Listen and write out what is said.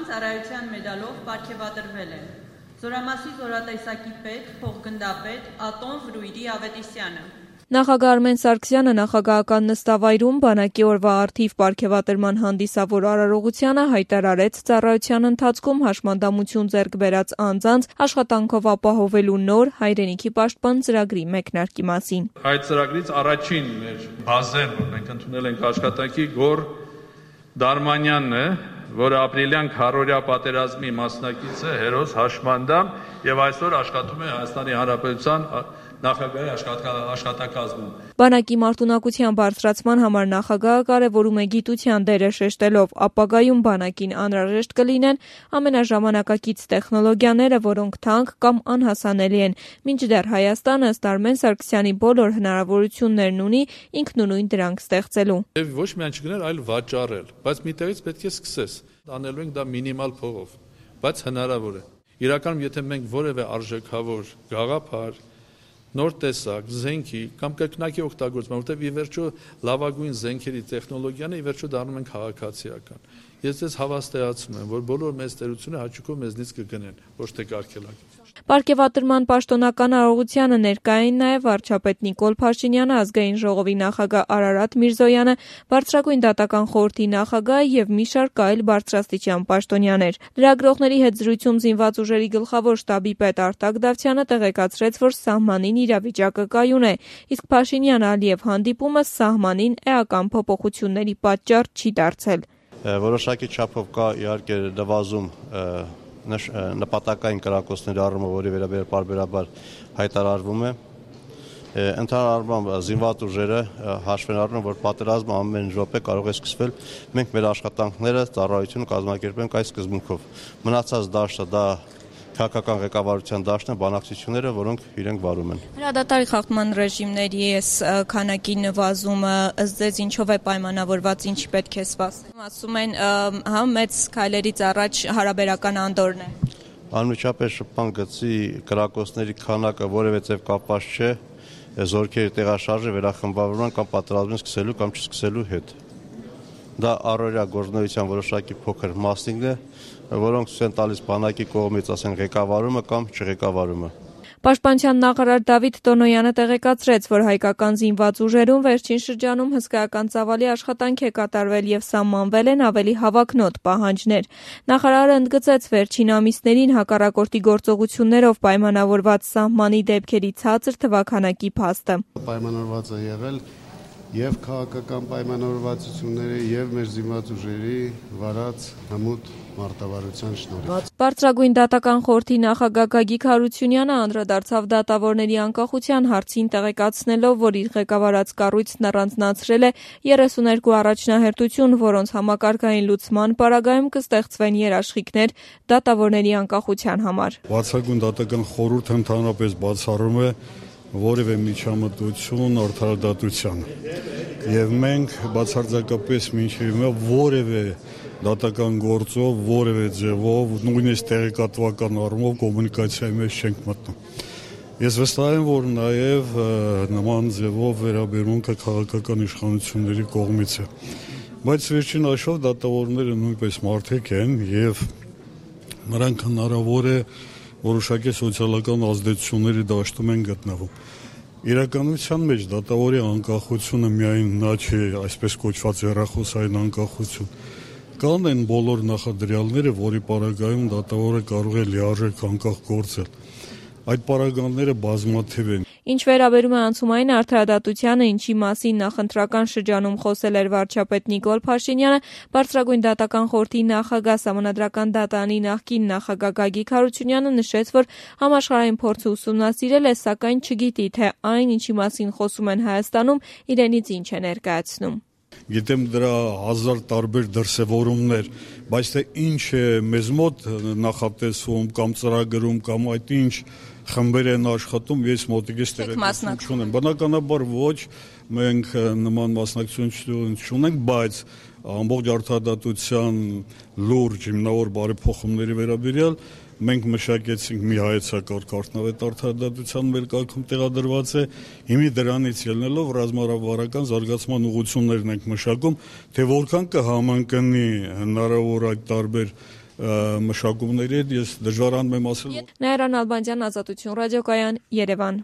ծառայության մեդալով պարգևատրվել են Զորամասի զորատեսակի պետ, փոխգնդապետ Ատոն Վրույրի Ավետիսյանը։ Նախագահ Արմեն Սարգսյանը նախագահական նստավայրում բանակի օրվա առթիվ պարգևատրման հանդիսավոր արարողությանը հայտարարեց ծառայության ընթացքում հաշմանդամություն ձեռք բերած անձանց աշխատանքով ապահովելու նոր հայրենիքի պաշտպան ծրագրի մեկնարկի մասին։ Այդ ծրագրից առաջին մեր բազեն, որ մենք ընդունել ենք աշխատանքի, Գոր Դարմանյանն է, որը ապրիլյան քարորյա պատերազմի մասնակից է, հերոս, հաշմանդամ եւ այսօր աշխատում է Հայաստանի Հանրապետության նախագահի աշխատակազմում։ Բանակի մարտունակության բարձրացման համար նախագահը կարևորում է գիտության դերը շեշտելով ապագայում բանակին անհրաժեշտ կլինեն ամենաժամանակակից տեխնոլոգիաները, որոնք թանկ կամ անհասանելի են, մինչդեռ Հայաստանը ըստ Արմեն Սարգսյանի բոլոր հնարավորություններն ունի ինքնուրույն դրանք ստեղծելու։ Եվ ոչ միայն չգնել, այլ վաճառել, բայց միտեղից պետք է սկսես։ Անելու ենք դա մինիմալ փողով, բայց հնարավոր է։ Իրականում, եթե մենք որևէ արժեքավոր գաղափար, նոր տեսակ, զենքի կամ կրկնակի օգտագործում, որտեղ ի վերջո լավագույն զենքերի տեխնոլոգիան է, ի վերջո դառնում են քաղաքացիական։ Ես ձեզ հավաստիացնում եմ, որ բոլոր մեծ տերությունը հաճույքով մեզնից կգնեն, ոչ թե կարգելակի։ Պարգևատրման պաշտոնական արարողությանը ներկա էին նաև վարչապետ Նիկոլ Փաշինյանը, ազգային ժողովի նախագահ Արարատ Միրզոյանը, Բարձրագույն դատական խորհրդի նախագահը եւ մի շարք այլ բարձրաստիճան պաշտոնյաներ։ Լրագրողների հետ զրույցում զինված ուժերի գլխավոր շտաբի պետ Արտակ Դավթյանը տեղեկացրեց, որ սահմանին իրավիճակը կայուն է, իսկ Փաշինյան-Ալիև հանդիպումը սահմանին էական փոփոխությունների պատճառ չի դարձել։ Որոշակի չափով կա իհարկե նվազում նպատակային կրակոցների առումով, որի վերաբերյալ պարբերաբար հայտարարվում է։ Ընդհանուր առմամբ զինված ուժերը հաշվեն առնում, որ պատերազմը ամեն րոպե կարող է սկսվել։ Մենք մեր աշխատանքները ծառայությունը կազմակերպենք այս սկզբունքով։ Մնացած դաշտը դա քաղաքական ղեկավարության դաշտն է, բանակցությունները, որոնք իրենք վարում են։ Հրադադարի խախտման ռեժիմների քանակի նվազումը ըստ ձեզ ինչով է պայմանավորված, ինչի պետք է սպասել։ Ասում են, հա, մեծ քայլերից առաջ հարաբերական անդորն է։ Անմիջապես շփման գծի կրակոցների քանակը որևէ ձև կապված չէ զորքերի տեղաշարժը վերախմբավորման կամ պատերազմին սկսելու կամ չսկսելու հետ։ Դա առօրյա գործունեության որոշակի փոքր մասնիկն է, որոնք ցույց են տալիս բանակի կողմից, ասեն, ղեկավարումը կամ չղեկավարումը։ Պաշտպանության նախարար Դավիթ Տոնոյանը տեղեկացրեց, որ հայկական զինված ուժերում վերջին շրջանում հսկայական ծավալի աշխատանք է կատարվել եւ սահմանվել են ավելի հավակնոտ պահանջներ։ Նախարարը ընդգծեց վերջին ամիսներին հակառակորդի գործողություններով պայմանավորված սահմանի դեպքերի ցածր թվաքանակի փաստը։ Պայմանավորված է եղել եւ քաղաքական պայմանավորվածությունները եւ մեր զինված ուժերի վարած հմուտ մարտավարության շնորհիվ։ Բարձրագույն դատական խորհրդի նախագահ Գագիկ Հարությունյանը անդրադարձավ դատավորների անկախության հարցին, տեղեկացնելով, որ իր ղեկավարած կառույցն առանձնացրել է 32 առաջնահերթություն, որոնց համակարգային լուծման պարագայում կստեղծվեն երաշխիքներ դատավորների անկախության համար։ Բարձրագույն դատական խորհուրդը ընդհանրապես բացառում է որևէ միջամտություն արդարադատության եւ մենք բացարձակապես մինչեւ հիմա որևէ դատական գործով, որևէ ձևով, նույնիսկ տեղեկատվական առումով կոմունիկացիայի մեջ չենք մտնում։ Ես վստահ եմ, որ նաեւ նման ձևով վերաբերմունքը քաղաքական իշխանությունների կողմից է։ Բայց վերջին հաշվով դատավորները նույնպես մարդիկ են եւ նրանք հնարավոր է որոշակի սոցիալական ազդեցությունների դաշտում են գտնվում։ Իրականության մեջ դատավորի անկախությունը միայն նա չէ, այսպես կոչված հեռախոսային անկախություն։ Կան են բոլոր նախադրյալները, որի պարագայում դատավորը կարող է լիարժեք անկախ գործել։ Այդ պարագաները բազմաթիվ են։ Ինչ վերաբերում է անցումային արդարադատությանը, ինչի մասին նախընտրական շրջանում խոսել էր վարչապետ Նիկոլ Փաշինյանը, Բարձրագույն դատական խորհրդի նախագահ Սահմանադրական դատարանի նախկին նախագահ Գագիկ Հարությունյանը նշեց, որ համաշխարհային փորձը ուսումնասիրել է, սակայն չգիտի, թե այն, ինչի մասին խոսում են Հայաստանում, իրենից ինչ է ներկայացնում։ Գիտեմ դրա հազար տարբեր դրսևորումներ, բայց թե ինչ է մեզ մոտ նախատեսվում կամ ծրագրում կամ այդ ինչ խմբեր են աշխատում, ես մոտիկից տեղեկատվություն չունեմ։ Բնականաբար ոչ, մենք նման մասնակցություն չունենք, բայց ամբողջ արդարադատության լուրջ հիմնավոր բարեփոխումների վերաբերյալ մենք մշակեցինք մի հայեցակարգ արդյունավետ արդարադատության մեր կարգում տեղադրված է, հիմի դրանից ելնելով ռազմավարական զարգացման ուղղություններն ենք մշակում, թե որքան կհամընկնի հնարավոր այդ տարբեր մշակումների հետ ես դժվարանում եմ ասել։ Նաիրա Նալբանդյան, Ազատություն ռադիոկայան, Երևան։